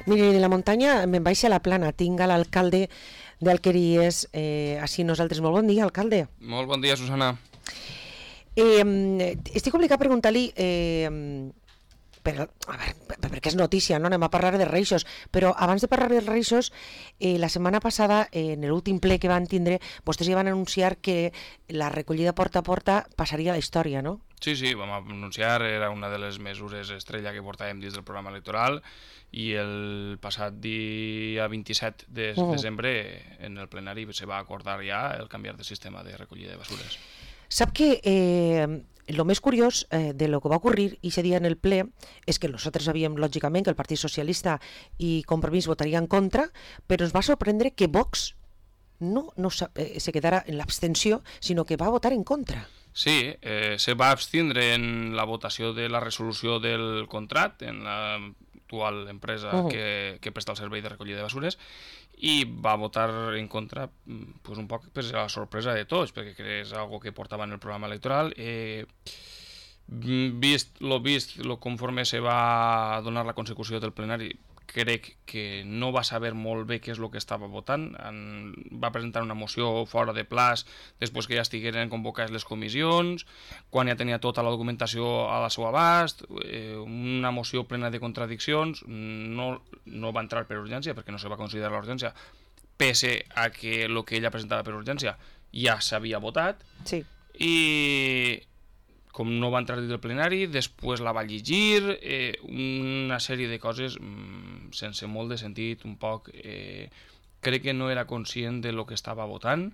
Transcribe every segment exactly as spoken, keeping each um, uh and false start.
Mire, de la muntanya me'n vaig a la plana. Tinc a l'alcalde d'Alqueries, eh, així nosaltres. Molt bon dia, alcalde. Molt bon dia, Susana. Eh, estic obligat a preguntar-li... Eh, per, a veure, perquè és notícia, no? Anem a parlar de reixos, però abans de parlar de reixos, eh, la setmana passada, eh, en l'últim ple que van tindre, vostès ja van anunciar que la recollida porta a porta passaria a la història, no? Sí, sí, vam anunciar, era una de les mesures estrella que portàvem dins del programa electoral, i el passat dia vint-i-set de uh-huh. desembre en el plenari se va acordar ja el canviar de sistema de recollida de basures. Sap que eh, lo més curiós eh, de lo que va ocurrir ese dia en el ple és que nosaltres sabíem, lògicament, que el Partit Socialista i Compromís votaria en contra, però ens va sorprendre que Vox no, no eh, se quedara en l'abstenció, sinó que va votar en contra. Sí, eh, se va abstindre en la votació de la resolució del contracte en l'actual empresa uh-huh. que, que presta el servei de recollida de basures, i va votar en contra pues, un poc per la sorpresa de tots, perquè és algo que portava en el programa electoral. Eh, vist lo vist, lo conforme se va donar la consecució del plenari, crec que no va saber molt bé què és el que estava votant. En, va presentar una moció fora de plaç després que ja estigueren convocades les comissions, quan ja tenia tota la documentació a la seu abast, eh, una moció plena de contradiccions. No, no va entrar per urgència perquè no se va considerar l'urgència, pese a que el que ella presentava per urgència ja s'havia votat. Sí. I com no va entrar dins del plenari, després la va llegir, eh, una sèrie de coses mmm, sense molt de sentit, un poc... Eh, crec que no era conscient de lo que estava votant,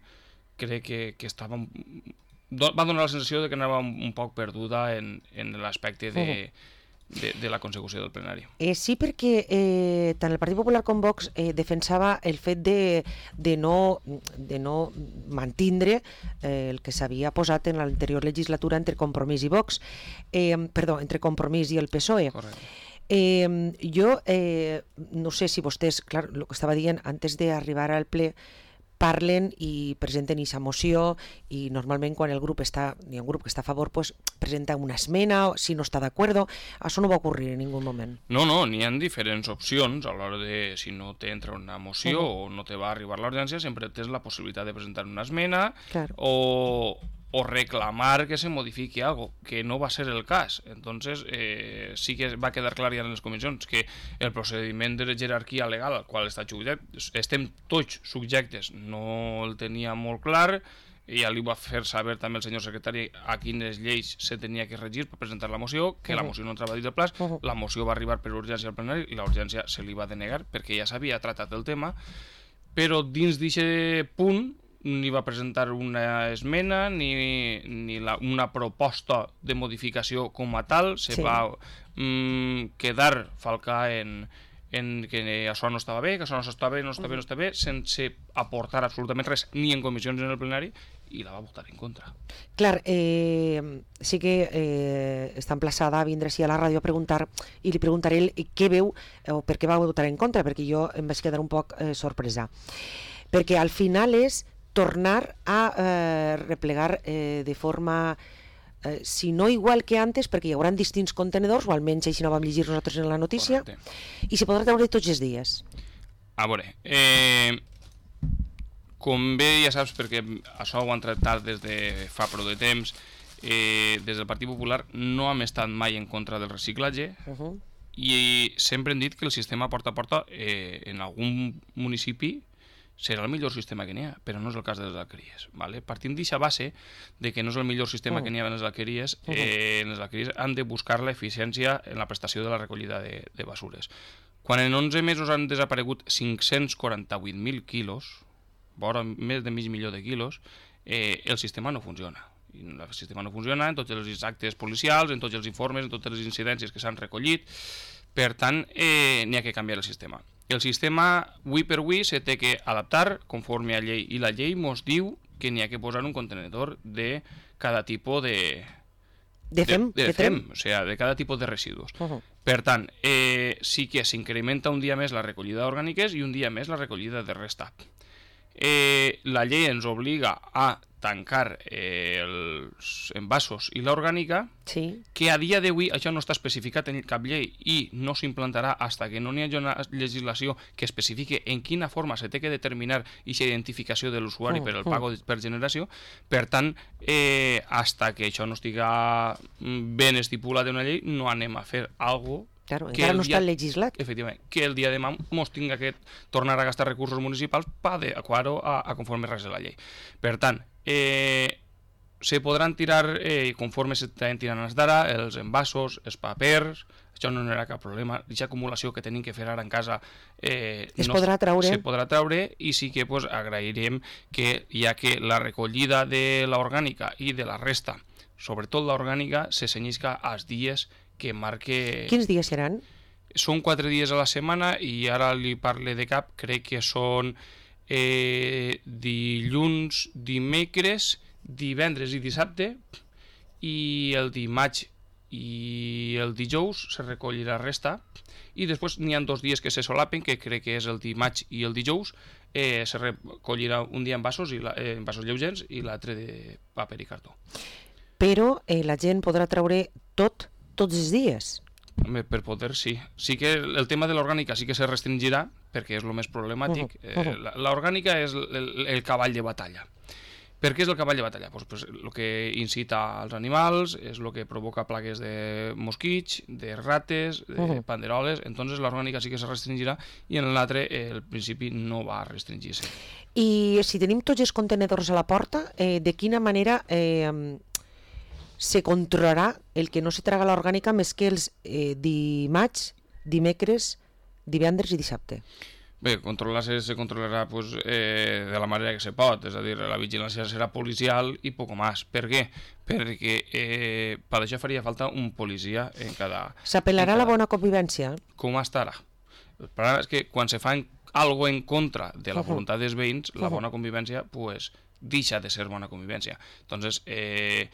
crec que, que estava... Va donar la sensació de que anava un, un poc perduda en, en l'aspecte de... Uh-huh. De, de la consecució del plenari. Eh, sí, perquè eh, tant el Partit Popular com Vox eh, defensava el fet de, de, no, de no mantindre eh, el que s'havia posat en l'anterior legislatura entre Compromís i Vox, eh, perdó, entre Compromís i el P S O E. Correcte. Eh, jo eh, no sé si vostès, clar, el que estava dient antes d'arribar al ple, parlen i presenten aquesta moció, i normalment quan el grup està, hi ha un grup que està a favor, pues, presenta una esmena, si no està d'acord. Això no va ocurrir en ningú moment. No, no, n'hi ha diferents opcions a l'hora de, si no t'entra una moció uh-huh. o no te va arribar l'urgència, sempre tens la possibilitat de presentar una esmena claro. o, o reclamar que se modifiqui algo, que no va ser el cas. Entonces, eh, sí que va quedar clar ja en les comissions que el procediment de jerarquia legal al qual està subjectes, estem tots subjectes, no el tenia molt clar, i ja li va fer saber també el senyor secretari a quines lleis se tenia que regir per presentar la moció, que uh-huh. la moció no entrava dins del plaç, uh-huh. la moció va arribar per urgència al plenari i la urgència se li va denegar perquè ja s'havia tratat el tema, però dins d'aquest punt ni va presentar una esmena ni, ni la, una proposta de modificació com a tal, se sí. va mm, quedar falcar en, en que això no estava bé, que això no està bé, no està bé, no està bé, sense aportar absolutament res, ni en comissions ni en el plenari, i la va votar en contra. Clar, eh, sí que eh, està emplaçada a vindre així a la ràdio a preguntar, i li preguntaré el, què veu o per què va votar en contra, perquè jo em vaig quedar un poc eh, sorpresa. Perquè al final és tornar a eh, replegar eh, de forma, eh, si no igual que antes, perquè hi haurà distints contenedors, o almenys així no vam llegir nosaltres en la notícia. Correcte. I se podrà treure tots els dies. A veure, eh, com bé ja saps, perquè això ho han tractat des de fa prou de temps, eh, des del Partit Popular no hem estat mai en contra del reciclatge, uh-huh. i sempre hem dit que el sistema porta a porta eh, en algun municipi serà el millor sistema que n'hi ha, però no és el cas de les alqueries. Vale? Partint d'aquesta base de que no és el millor sistema uh-huh. que n'hi ha en les alqueries, uh-huh. eh, en les alqueries han de buscar l'eficiència en la prestació de la recollida de, de basures. Quan en onze mesos han desaparegut cinc-cents quaranta-vuit mil quilos, vora més de mig milió de quilos, eh, el sistema no funciona. El sistema no funciona en tots els actes policials, en tots els informes, en totes les incidències que s'han recollit. Per tant, eh, n'hi ha que canviar el sistema. El sistema, avui per avui, se té que adaptar conforme a llei, i la llei mos diu que n'hi ha que posar un contenedor de cada tipus de... De fem, de, de, de fem, o sea, de cada tipus de residus. Uh-huh. Per tant, eh, sí que s'incrementa un dia més la recollida d'orgàniques i un dia més la recollida de resta. Eh, la llei ens obliga a tancar eh, els envasos i l'orgànica, sí. que a dia d'avui això no està especificat en cap llei i no s'implantarà fins que no hi hagi una legislació que especifique en quina forma se té que determinar aquesta identificació de l'usuari mm, per el pago mm. per generació. Per tant, eh, fins que això no estiga ben estipulat en una llei, no anem a fer alguna cosa. Claro, encara no dia, està legislat. Efectivament, que el dia de demà mos tinga que tornar a gastar recursos municipals per adequar-ho a, a conforme res de la llei. Per tant, eh, se podran tirar, eh, conforme s'estan tirant els d'ara, els envasos, els papers, això no era cap problema. Aquesta acumulació que tenim que fer ara en casa eh, es no podrà traure. Se podrà traure i sí que pues, agrairem que ja que la recollida de l'orgànica i de la resta, sobretot l'orgànica, se cenyisca als dies que marque... Quins dies seran? Són quatre dies a la setmana i ara li parle de cap, crec que són eh, dilluns, dimecres, divendres i dissabte, i el dimarts i el dijous se recollirà resta, i després n'hi ha dos dies que se solapen, que crec que és el dimarts i el dijous, eh, se recollirà un dia en vasos, i la, eh, en vasos lleugers i l'altre de paper i cartó. Però eh, la gent podrà treure tot tots els dies. Per poder, sí. Sí que el tema de l'orgànica sí que se restringirà, perquè és el més problemàtic. Uh -huh. eh, l'orgànica és el, el cavall de batalla. Per què és el cavall de batalla? Pues, pues, el que incita als animals, és el que provoca plagues de mosquits, de rates, de uh -huh. panderoles, entonces l'orgànica sí que se restringirà i en l'altre, eh, el principi no va restringir-se. I si tenim tots els contenedors a la porta, eh, de quina manera... Eh, se controlarà el que no se traga l'orgànica més que els eh, dimarts, dimecres, divendres i dissabte? Bé, controlar-se se controlarà pues, eh, de la manera que se pot, és a dir, la vigilància serà policial i poc més. Per què? Perquè eh, per això faria falta un policia en cada... S'apel·larà a la bona convivència? Com estarà. El problema és que quan se fa algo en contra de la voluntat dels veïns, la bona convivència pues, deixa de ser bona convivència. Entonces, eh,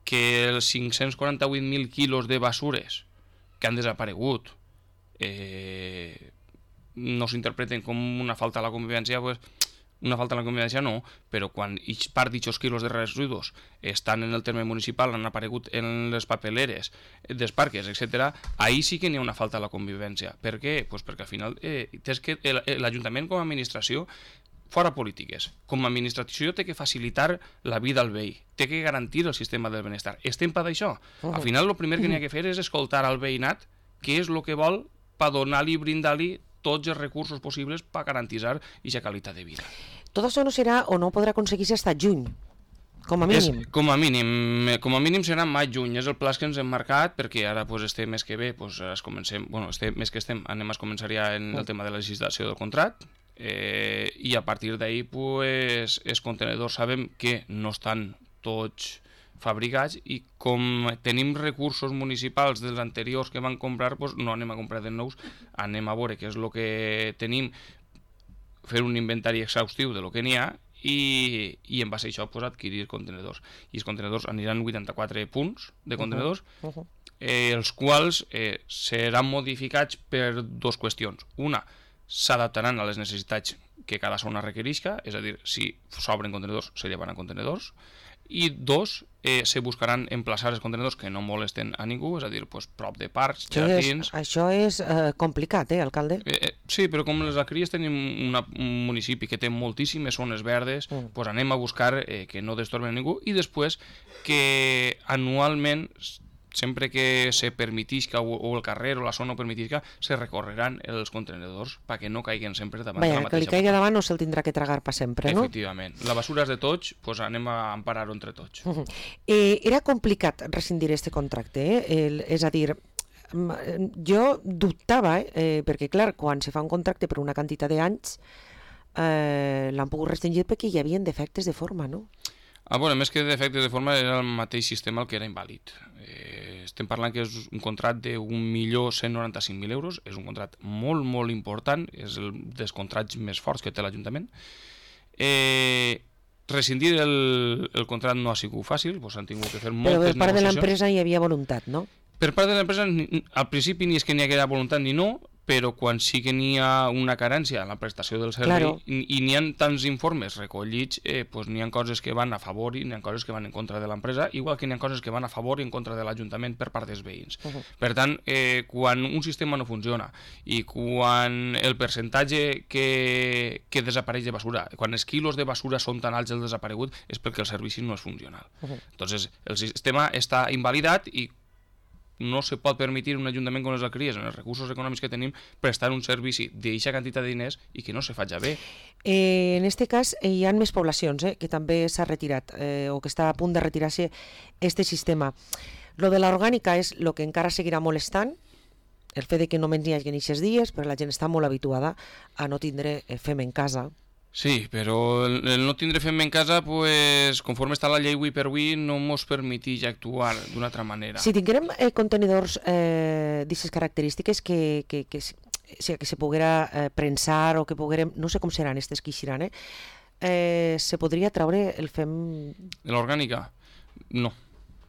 que els cinc-cents quaranta-vuit mil quilos de basures que han desaparegut eh, no s'interpreten com una falta a la convivència, pues, una falta a la convivència no, però quan part d'aquests quilos de residus estan en el terme municipal, han aparegut en les papeleres dels parques, etcètera, ahí sí que n'hi ha una falta a la convivència. Per què? Pues perquè al final eh, és que l'Ajuntament com a administració fora polítiques. Com a administració té que facilitar la vida al veí, té que garantir el sistema del benestar. Estem per d'això. Uh -huh. Al final, el primer que n'hi ha que fer és escoltar al veïnat què és el que vol per donar-li i brindar-li tots els recursos possibles per garantir aquesta qualitat de vida. Tot això no serà o no podrà aconseguir-se fins juny, com a mínim. És, com a mínim. Com a mínim serà maig-juny, és el pla que ens hem marcat, perquè ara pues, estem més que bé, pues, es comencem, bueno, estem, més que estem, anem a començar ja en el tema de la legislació del contracte, Eh, i a partir d'ahí pues, els contenedors sabem que no estan tots fabricats i com tenim recursos municipals dels anteriors que van comprar, pues, no anem a comprar de nous, anem a veure què és el que tenim, fer un inventari exhaustiu de lo que n'hi ha i, i en base a això pues, adquirir contenedors. I els contenedors aniran vuitanta-quatre punts de contenedors, uh -huh. eh, els quals eh, seran modificats per dues qüestions. Una, s'adaptaran a les necessitats que cada zona requerisca, és a dir, si s'obren contenedors, se llevaran contenedors, i dos, eh, se buscaran emplaçar els contenedors que no molesten a ningú, és a dir, pues, prop de parcs, això jardins... És, això és eh, complicat, eh, alcalde? Eh, eh, sí, però com les Alqueries tenim una, un municipi que té moltíssimes zones verdes, mm. pues anem a buscar eh, que no destorben a ningú, i després que anualment... sempre que se permetisca o el carrer o la zona ho permetisca, se recorreran els contenedors perquè no caiguen sempre davant Vaja, de la mateixa que li caigui davant no se'l tindrà que tragar per sempre, no? Efectivament. La basura és de tots, doncs anem a emparar-ho entre tots. Uh -huh. eh, era complicat rescindir aquest contracte, eh? El, és a dir, jo dubtava, eh? perquè clar, quan se fa un contracte per una quantitat d'anys, eh, l'han pogut restringir perquè hi havia defectes de forma, no? Ah, bueno, més que defectes de forma era el mateix sistema el que era invàlid. Eh, estem parlant que és un contracte d'un milió cent noranta-cinc mil euros, és un contracte molt, molt important, és el dels contractes més forts que té l'Ajuntament. Eh, rescindir el, el contracte no ha sigut fàcil, doncs han tingut que fer moltes negociacions. Però per part de l'empresa hi havia voluntat, no? Per part de l'empresa, al principi ni és que n'hi haguera voluntat ni no, però quan sí que n'hi ha una carència en la prestació del servei claro. i, i n'hi ha tants informes recollits, eh, pues n'hi ha coses que van a favor i n'hi ha coses que van en contra de l'empresa, igual que n'hi ha coses que van a favor i en contra de l'Ajuntament per part dels veïns. Uh -huh. Per tant, eh, quan un sistema no funciona i quan el percentatge que, que desapareix de basura, quan els quilos de basura són tan alts el desaparegut, és perquè el servici no és funcional. Uh -huh. Entonces, el sistema està invalidat i no se pot permetre un ajuntament com les Alqueries, amb els recursos econòmics que tenim, prestar un servici d'aquesta quantitat de diners i que no se faci bé. Eh, en aquest cas, eh, hi ha més poblacions eh, que també s'ha retirat eh, o que està a punt de retirar-se aquest sistema. Lo de l'orgànica és el que encara seguirà molestant, el fet de que només n'hi hagi aquests dies, però la gent està molt habituada a no tindre eh, fem en casa. Sí, però el, el no tindre fem en casa, pues, conforme està la llei avui per avui, no mos permeteix actuar d'una altra manera. Si tinguérem eh, contenidors eh, d'aquestes característiques que, que, que, que, que se poguera eh, prensar o que poguérem, no sé com seran aquestes que eixiran, eh, eh, se podria traure el fem... De l'orgànica? No.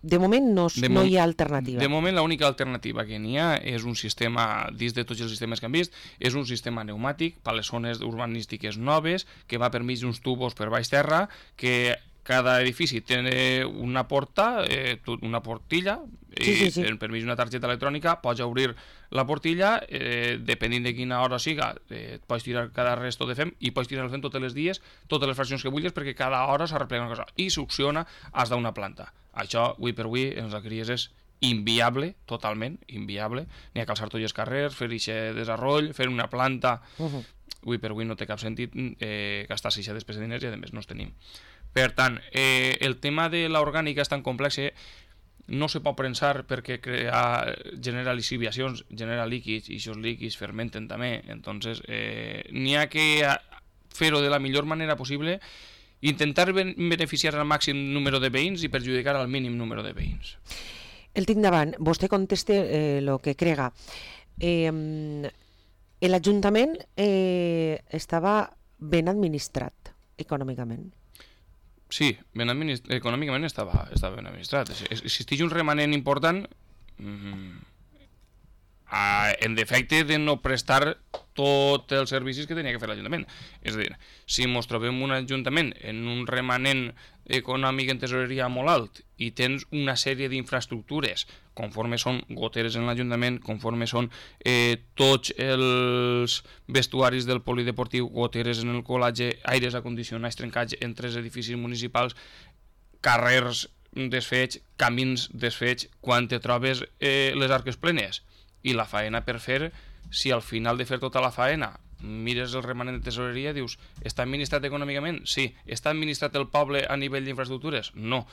De moment no, de no hi ha alternativa. De moment l'única alternativa que n'hi ha és un sistema, dins de tots els sistemes que hem vist, és un sistema pneumàtic per a les zones urbanístiques noves, que va per mig d'uns tubos per baix terra, que cada edifici té una porta, eh, una portilla, sí, sí, sí. i per mig d'una targeta electrònica pots obrir la portilla, eh, depenent de quina hora siga, eh, pots tirar cada resto de fem i pots tirar el fem tots els dies, totes les fraccions que vulguis, perquè cada hora s'arreplega una cosa i succiona has d'una planta. Això, avui per avui, en les Alqueries és inviable, totalment inviable. N'hi ha que alçar tots els carrers, fer aquest desarroll, fer una planta. Uh-huh. Avui per avui no té cap sentit eh, gastar-se aquesta despesa de diners i, a més, no els tenim. Per tant, eh, el tema de l'orgànica és tan complex que no se pot prensar perquè crea, genera liciviacions, genera líquids, i aquests líquids fermenten també. Entonces, eh, n'hi ha que fer-ho de la millor manera possible, intentar beneficiar al màxim número de veïns i perjudicar al mínim número de veïns. El tinc davant. Vostè conteste el eh, que crega. Eh, L'Ajuntament eh, estava ben administrat econòmicament. Sí, ben administ... econòmicament estava, estava ben administrat. Existeix un remanent important mm, a, en defecte de no prestar tots els servicis que tenia que fer l'Ajuntament. És a dir, si ens trobem un Ajuntament en un remanent econòmic en tesoreria molt alt i tens una sèrie d'infraestructures, conforme són goteres en l'Ajuntament, conforme són eh, tots els vestuaris del polideportiu, goteres en el colatge, aires acondicionats trencats en tres edificis municipals, carrers desfets, camins desfets, quan te trobes eh, les arques plenes i la faena per fer, si al final de fer tota la faena mires el remanent de tesoreria, dius, està administrat econòmicament? Sí. Està administrat el poble a nivell d'infraestructures? No.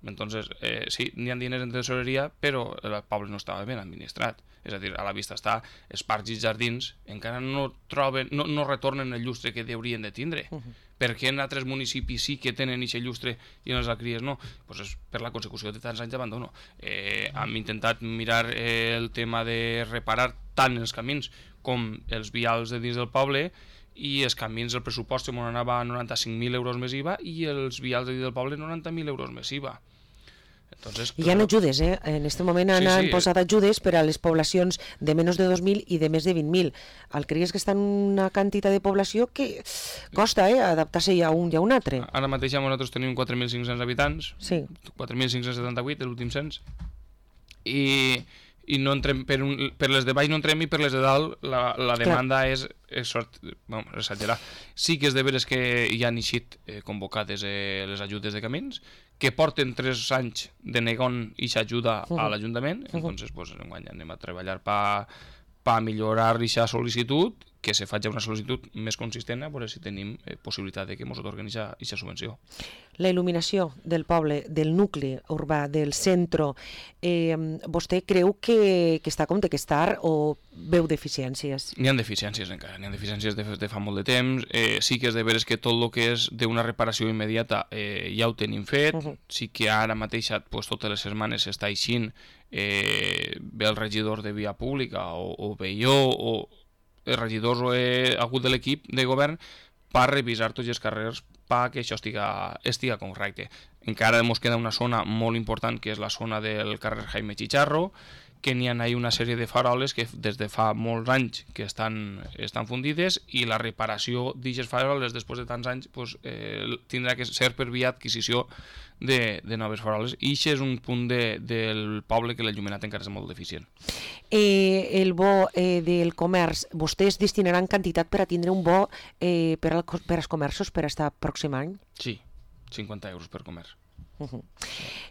Entonces, eh, sí, n'hi ha diners en tesoreria, però el poble no estava ben administrat. És a dir, a la vista està, els parcs i jardins encara no troben, no, no retornen el llustre que haurien de tindre. Uh -huh. Per què en altres municipis sí que tenen aquest llustre i en les Alqueries no? Pues és per la consecució de tants anys d'abandono. Eh, hem intentat mirar eh, el tema de reparar tant els camins com els vials de dins del poble, i els camins del pressupost que anava a noranta-cinc mil euros més I V A i els vials de dins del poble noranta mil euros més I V A. Entonces, hi ha ajudes, eh? En aquest moment han sí, sí. posat ajudes per a les poblacions de menys de dos mil i de més de vint mil. Alqueries que està en una quantitat de població que costa eh, adaptar-se a un i a un altre. Ara mateix nosaltres tenim quatre mil cinc-cents habitants, sí. quatre mil cinc-cents setanta-vuit, l'últim cens, i, i no entrem per, un, per les de baix no entrem i per les de dalt la, la demanda Clar. és, és sort, bueno, exagerar. Sí que és de veres que hi han eixit eh, convocades eh, les ajudes de camins, que porten tres anys de negant aquesta ajuda uh -huh. a l'Ajuntament, uh -huh. entonces pues, enguany anem a treballar per pa millorar aquesta sol·licitud, que se faci una sol·licitud més consistent, a veure si tenim eh, possibilitat de que ens otorguen aquesta subvenció. La il·luminació del poble, del nucli urbà, del centre, eh, vostè creu que, que està com té que estar o veu deficiències? N'hi ha deficiències encara, n'hi ha deficiències de, de fa molt de temps. Eh, sí que és de veres que tot el que és d'una reparació immediata eh, ja ho tenim fet. Uh -huh. Sí que ara mateix, pues, totes les setmanes s'està eixint, eh, ve el regidor de via pública o, o ve jo o els regidors o he hagut de l'equip de govern per revisar tots els carrers perquè això estiga, estiga correcte. Encara ens queda una zona molt important, que és la zona del carrer Jaime Chicharro, que n'hi ha una sèrie de faroles que des de fa molts anys que estan, estan fundides i la reparació d'aquestes faroles després de tants anys pues, eh, tindrà que ser per via adquisició de, de noves faroles. I això és un punt de, del poble que l'enllumenat encara és molt deficient. Eh, el bo eh, del comerç, vostès destinaran quantitat per a tindre un bo eh, per, al, per als comerços per estar pròxim any? Sí, cinquanta euros per comerç. Uh -huh.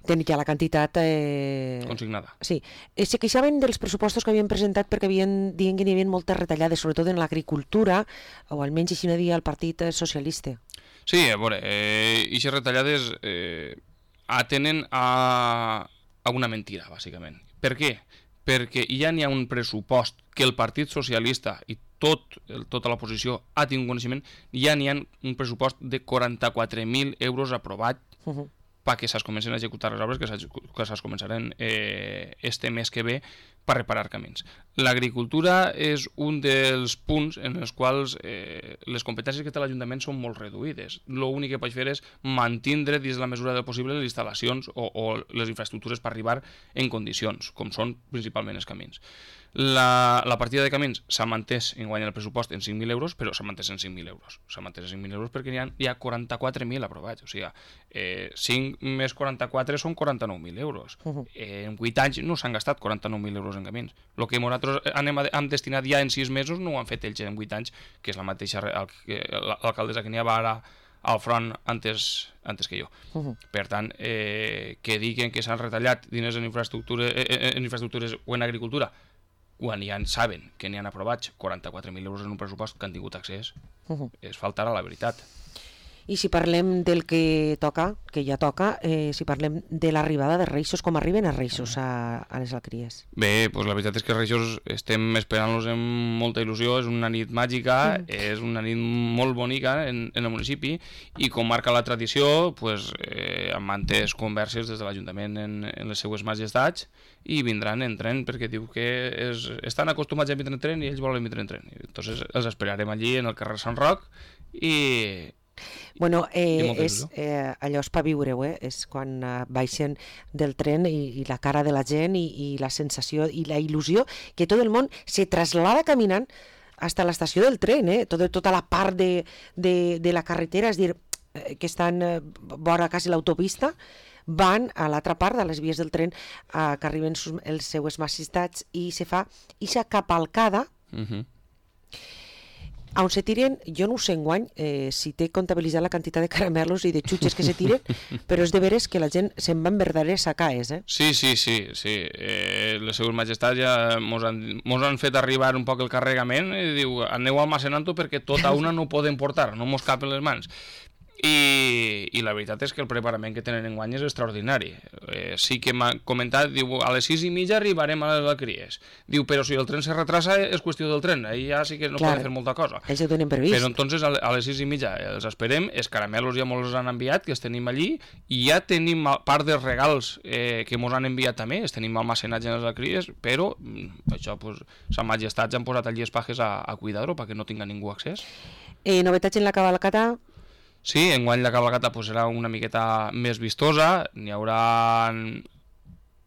Tenen ja la quantitat... Eh... Consignada. Sí. Eh, se queixaven dels pressupostos que havien presentat perquè havien, diuen que hi havia moltes retallades, sobretot en l'agricultura, o almenys així no dia el Partit Socialista. Sí, a veure, eh, aquestes retallades eh, atenen a, a una mentira, bàsicament. Per què? Perquè ja n'hi ha un pressupost que el Partit Socialista i tot, el, tota l'oposició ha tingut coneixement, ja n'hi ha un pressupost de quaranta-quatre mil euros aprovat uh -huh. perquè se'ls comencen a executar les obres que se'ls començaran eh, este mes que ve per reparar camins. L'agricultura és un dels punts en els quals eh, les competències que té l'Ajuntament són molt reduïdes. L'únic que pot fer és mantindre dins la mesura del possible les instal·lacions o, o les infraestructures per arribar en condicions, com són principalment els camins. La, la partida de camins s'ha mantès en guany el pressupost en cinc mil euros, però s'ha mantès en cinc mil euros. S'ha mantès en cinc mil euros perquè hi ha, hi ha quaranta-quatre mil aprovats. O sigui, eh, cinc més quaranta-quatre són quaranta-nou mil euros. Uh -huh. eh, en vuit anys no s'han gastat quaranta-nou mil euros en camins. El que nosaltres anem a, hem destinat ja en sis mesos no ho han fet ells en vuit anys, que és la mateixa l'alcaldessa que n'hi ha ara al front antes, antes que jo. Uh -huh. Per tant, eh, que diguen que s'han retallat diners en infraestructures, en infraestructures o en agricultura, quan ja en saben que n'hi han aprovats quaranta-quatre mil euros en un pressupost que han tingut accés, uh -huh. és faltar a la veritat. I si parlem del que toca, que ja toca, eh, si parlem de l'arribada de Reixos, com arriben els Reixos a, a les Alcries? Bé, doncs la veritat és que Reixos estem esperant-los amb molta il·lusió, és una nit màgica, mm. és una nit molt bonica en, en el municipi, i com marca la tradició, pues, eh, han mantès converses des de l'Ajuntament en, en les seues majestats, i vindran en tren, perquè diu que és, estan acostumats a vindre en tren i ells volen vindre en tren. Entonces els esperarem allí en el carrer Sant Roc i... Bueno, eh, és, eh, allò és per viure-ho, eh? És quan eh, baixen del tren i, i la cara de la gent i, i la sensació i la il·lusió que tot el món se traslada caminant fins a l'estació del tren, eh? Tot, tota la part de, de, de la carretera, és dir, eh, que estan eh, vora quasi l'autopista, van a l'altra part de les vies del tren eh, que arriben sus, els seues majestats i se fa ixa capalcada uh-huh. on se tiren, jo no ho sé enguany eh, si té comptabilitzat la quantitat de caramelos i de xutxes que se tiren, però és de veres que la gent se'n va en verdaderes sacaes, eh? Sí, sí, sí, sí. Eh, les seues majestats ja mos han, mos han fet arribar un poc el carregament i diu, aneu almacenant-ho perquè tota una no ho poden portar, no mos cap en les mans. I, i la veritat és que el preparament que tenen enguany és extraordinari. Eh, sí que m'ha comentat, diu, a les sis i mitja arribarem a les Alcries. Diu, però si el tren se retrasa és qüestió del tren, ahí ja sí que no Clar, poden fer molta cosa. Ells ho tenen previst. Però entonces a les sis i mitja els esperem, els caramelos ja mos els han enviat, que els tenim allí, i ja tenim part dels regals eh, que mos han enviat també, els tenim almacenats en les Alcries, però això, pues, sa majestat ja han posat allí els pajes a, a cuidar-ho perquè no tinga ningú accés. Eh, novetats en la cavalcata? Sí, enguany la cabalgata pues, serà una miqueta més vistosa, n'hi haurà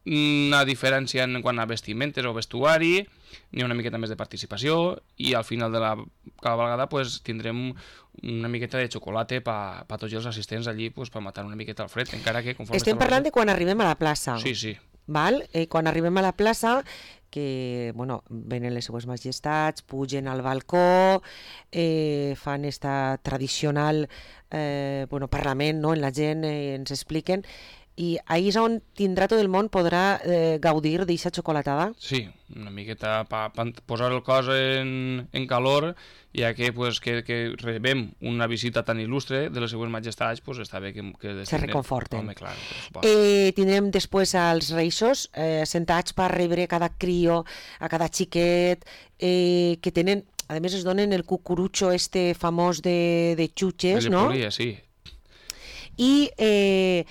una diferència en quant a vestimentes o vestuari, n'hi ha una miqueta més de participació i al final de la cabalgata pues, tindrem una miqueta de xocolata per pa tots els assistents allí pues, per matar una miqueta al fred, encara que conforme... Estem parlant de quan arribem a la plaça. Sí, sí. Val? Eh, quan arribem a la plaça, que bueno, venen les seues majestats, pugen al balcó, eh, fan esta tradicional eh, bueno, parlament, no? En la gent eh, ens expliquen, i ahí és on tindrà tot el món, podrà eh, gaudir d'aquesta xocolatada? Sí, una miqueta per pa posar el cos en, en calor, ja que, pues, que, que rebem una visita tan il·lustre de les seues majestats, pues, està bé que... que se reconforten. Home, clar, eh, tindrem després als Reixos eh, sentats per rebre cada crio, a cada xiquet, eh, que tenen, a més es donen el cucurutxo este famós de, de xutxes, no? Polia, sí. I... Eh,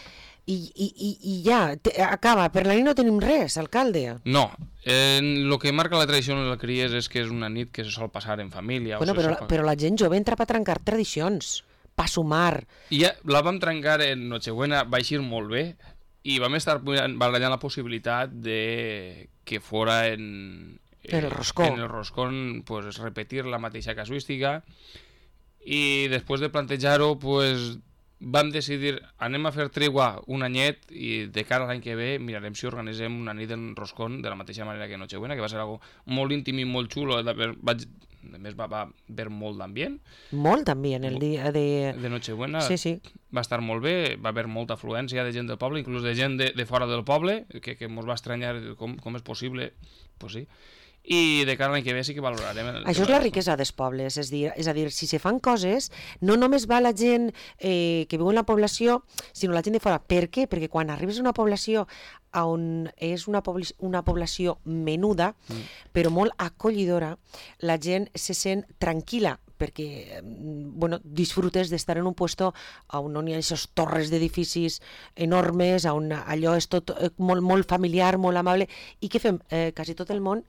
I, i, i, i ja, te, acaba, per la nit no tenim res, alcalde. No, eh, el que marca la tradició en la Cries és que és una nit que se sol passar en família. Bueno, o però, sol... però la gent jove entra per trencar tradicions, per sumar. I ja la vam trencar en Nochebuena, va eixir molt bé, i vam estar barallant la possibilitat de que fora en... El roscó. En el roscón, pues, repetir la mateixa casuística, i després de plantejar-ho, pues, vam decidir, anem a fer tregua un anyet i de cara a l'any que ve mirarem si organitzem una nit en roscón de la mateixa manera que Nochebuena, que va ser algo molt íntim i molt xulo. Vaig... A més, va, va haver molt d'ambient. Molt d'ambient, el dia de... De Nochebuena. Sí, sí. Va estar molt bé, va haver molta afluència de gent del poble, inclús de gent de, de fora del poble, que, que ens va estranyar com, com és possible, pues sí. I de cara a l'any que ve sí que valorarem... El Això és la riquesa dels pobles, és, dir, és a dir, si se fan coses, no només va la gent eh, que viu en la població, sinó la gent de fora. Per què? Perquè quan arribes a una població on és una, pobl una població menuda, mm. però molt acollidora, la gent se sent tranquil·la, perquè bueno, disfrutes d'estar en un puesto on no hi ha aquestes torres d'edificis enormes, on allò és tot molt, molt familiar, molt amable, i què fem? Eh, quasi tot el món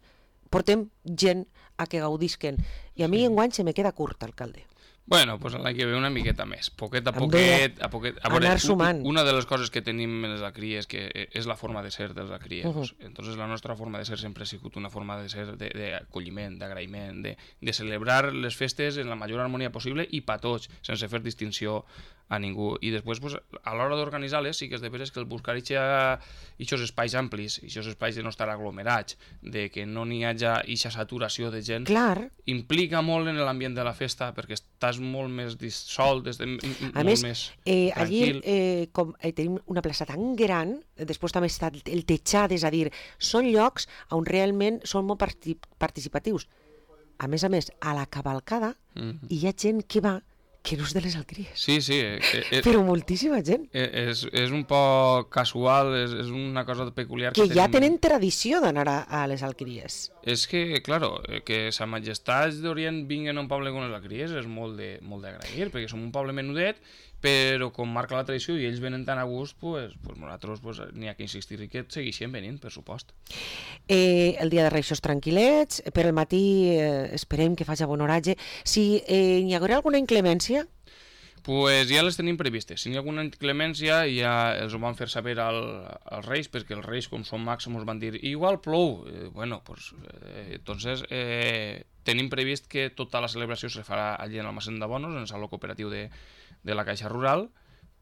portem gent a que gaudisquen. I a mi enguany se me queda curt, alcalde. Bueno, pues l'any que ve una miqueta més, poquet a poquet, a poquet. A veure, anar sumant. Una de les coses que tenim en els alcries és que és la forma de ser dels alcriers. Uh -huh. Entonces la nostra forma de ser sempre ha sigut una forma de ser d'acolliment, d'agraïment, de, de celebrar les festes en la major harmonia possible i pa tots, sense fer distinció a ningú. I després, pues, a l'hora d'organitzar-les, sí que és de veres que el buscar aquests espais amplis, aquests espais de no estar aglomerats, de que no n'hi hagi aquesta saturació de gent, clar, implica molt en l'ambient de la festa, perquè estàs molt més dissolt, és de, a molt més, més eh, tranquil. Allí eh, com, eh, tenim una plaça tan gran, després també està el tejat, és a dir, són llocs on realment són molt partic participatius. A més a més, a la cavalcada mm-hmm. hi ha gent que va que no és de les alcries. Sí, sí. Eh, eh, Però moltíssima gent. Eh, és, és un poc casual, és, és una cosa peculiar. Que, que ja tenim... tenen tradició d'anar a, a les alcries. És que, claro, que sa majestats d'Orient vinguen a un poble com les alcries és molt d'agrair, perquè som un poble menudet, però com marca la tradició i ells venen tan a gust, pues, pues nosaltres pues, n'hi ha que insistir i que segueixen venint, per supost. Eh, el dia de Reixos tranquil·lets, per el matí eh, esperem que faci bon oratge. Si eh, hi haurà alguna inclemència? Pues ja les tenim previstes. Si hi ha alguna inclemència ja els ho van fer saber al, als Reis, perquè els Reis, com són mags, ens van dir igual plou. Eh, bueno, pues, eh, entonces eh, tenim previst que tota la celebració se farà allí en el Massent de Bonos, en el saló cooperatiu de de la Caixa Rural,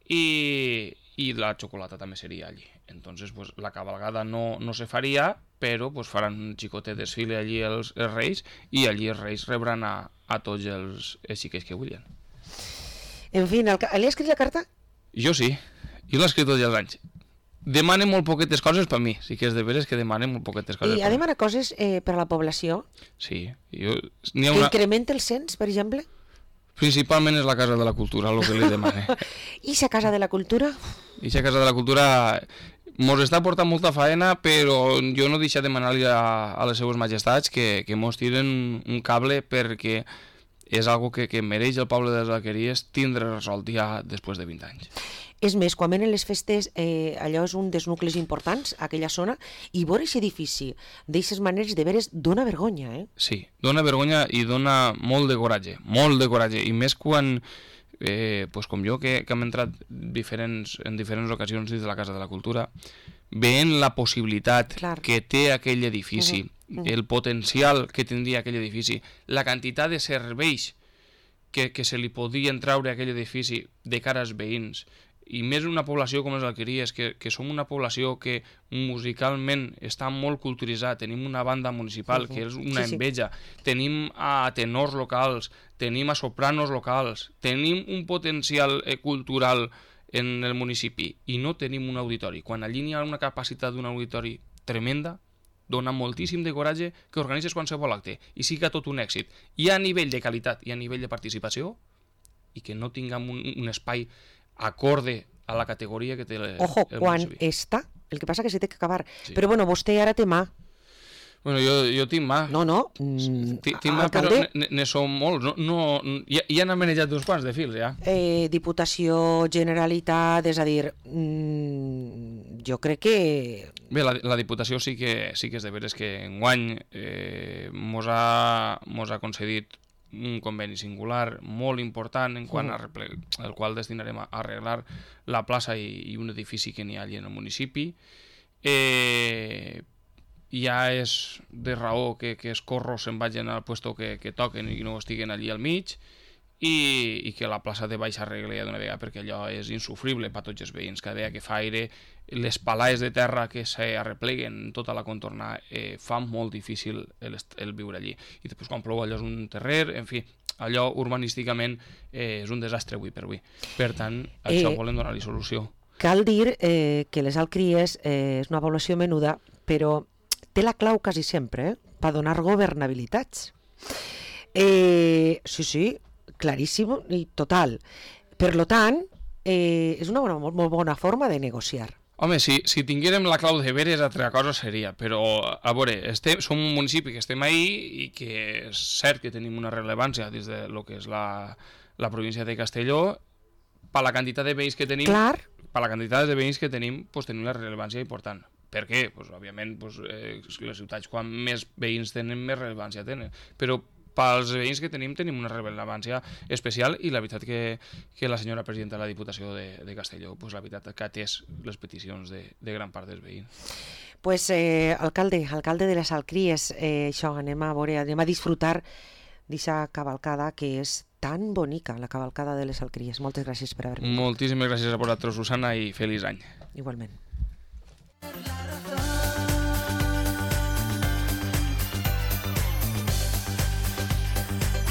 i, i la xocolata també seria allí. Entonces, pues, la cabalgada no, no se faria, però pues, faran un xicotet desfile allí els, els Reis, i allí els Reis rebran a, a tots els, els xiquets que vulguin. En fi, li ha escrit la carta? Jo sí, jo l'he escrit tots els anys. Demana molt poquetes coses per mi, sí que és de veres que demana molt poquetes coses. I ha demanat coses eh, per a la població? Sí. Jo, ha que una... incrementa el cens, per exemple? Principalment és la Casa de la Cultura, el que li demane. I la Casa de la Cultura? I la Casa de la Cultura mos està portant molta faena, però jo no deixo de demanar-li a, a les seues majestats que, que mos tiren un cable, perquè és algo que, que mereix el poble de les Alqueries tindre resolt ja després de vint anys. És més, quan venen les festes, eh, allò és un dels nuclis importants, aquella zona, i veure aquest edifici d'aquestes maneres de veres dona vergonya, eh? Sí, dona vergonya i dona molt de coratge, molt de coratge, i més quan, eh, pues com jo, que, que hem entrat diferents, en diferents ocasions dins de la Casa de la Cultura, veient la possibilitat Clar. que té aquell edifici, uh -huh. Uh -huh. el potencial que tindria aquell edifici, la quantitat de serveis que, que se li podien traure a aquell edifici de cara als veïns, i més una població com les Alqueries, que, que som una població que musicalment està molt culturitzada, tenim una banda municipal uh -huh. que és una sí, enveja, sí. tenim a tenors locals, tenim a sopranos locals, tenim un potencial eh, cultural en el municipi i no tenim un auditori. Quan allí hi ha una capacitat d'un auditori tremenda, dona moltíssim de coratge que organitzes qualsevol acte i siga tot un èxit, i a nivell de qualitat i a nivell de participació, i que no tinguem un, un espai acorde a la categoria que té el, Ojo, el quan municipi. està, el que passa que se té que acabar. Sí. Però bueno, vostè ara té mà. Bueno, jo, jo tinc mà. No, no. Mm, tinc mà, però ne són molts. No, no, ja, ja n'han manejat uns quants de fils, ja. Eh, Diputació, Generalitat, és a dir, mm, jo crec que... Bé, la, la Diputació sí que, sí que és de veres que enguany eh, mos, ha, mos ha concedit un conveni singular molt important en quant a arreglar, el qual destinarem a arreglar la plaça i, i un edifici que n'hi ha allà en el municipi. Eh, ja és de raó que, que els corros se'n vagin al puesto que, que toquen i no estiguen allí al mig, i, i que la plaça de baix arregli d'una vegada, perquè allò és insufrible per tots els veïns. Cada vegada que fa aire, les palaes de terra que s'arrepleguen tota la contorna eh, fan molt difícil el, el viure allí. I després quan plou allò és un terrer, en fi, allò urbanísticament eh, és un desastre avui per avui. Per tant, això eh, volem donar-li solució. Cal dir eh, que les Alcries eh, és una població menuda, però té la clau quasi sempre eh, per donar governabilitats. Eh, sí, sí, claríssim i total. Per lo tant, eh, és una bona, molt, molt bona forma de negociar. Home, si, si tinguérem la clau de veres, altra cosa seria, però, a veure, estem, som un municipi que estem ahí i que és cert que tenim una rellevància des de lo que és la, la província de Castelló, per la quantitat de veïns que tenim, Clar. per la quantitat de veïns que tenim, pues, tenim una rellevància important. Per què? Pues, òbviament, pues, eh, les ciutats, quan més veïns tenen, més rellevància tenen. Però pels veïns que tenim, tenim una rellevància especial i la veritat que, que la senyora presidenta de la Diputació de, de Castelló, pues, la veritat que ha atès les peticions de, de gran part dels veïns. Pues, eh, alcalde, alcalde de les Alcries, eh, això, anem a veure, anem a disfrutar d'aquesta cavalcada que és tan bonica, la cavalcada de les Alcries. Moltes gràcies per haver vingut. Moltíssimes gràcies a vosaltres, Susana, i feliç any. Igualment.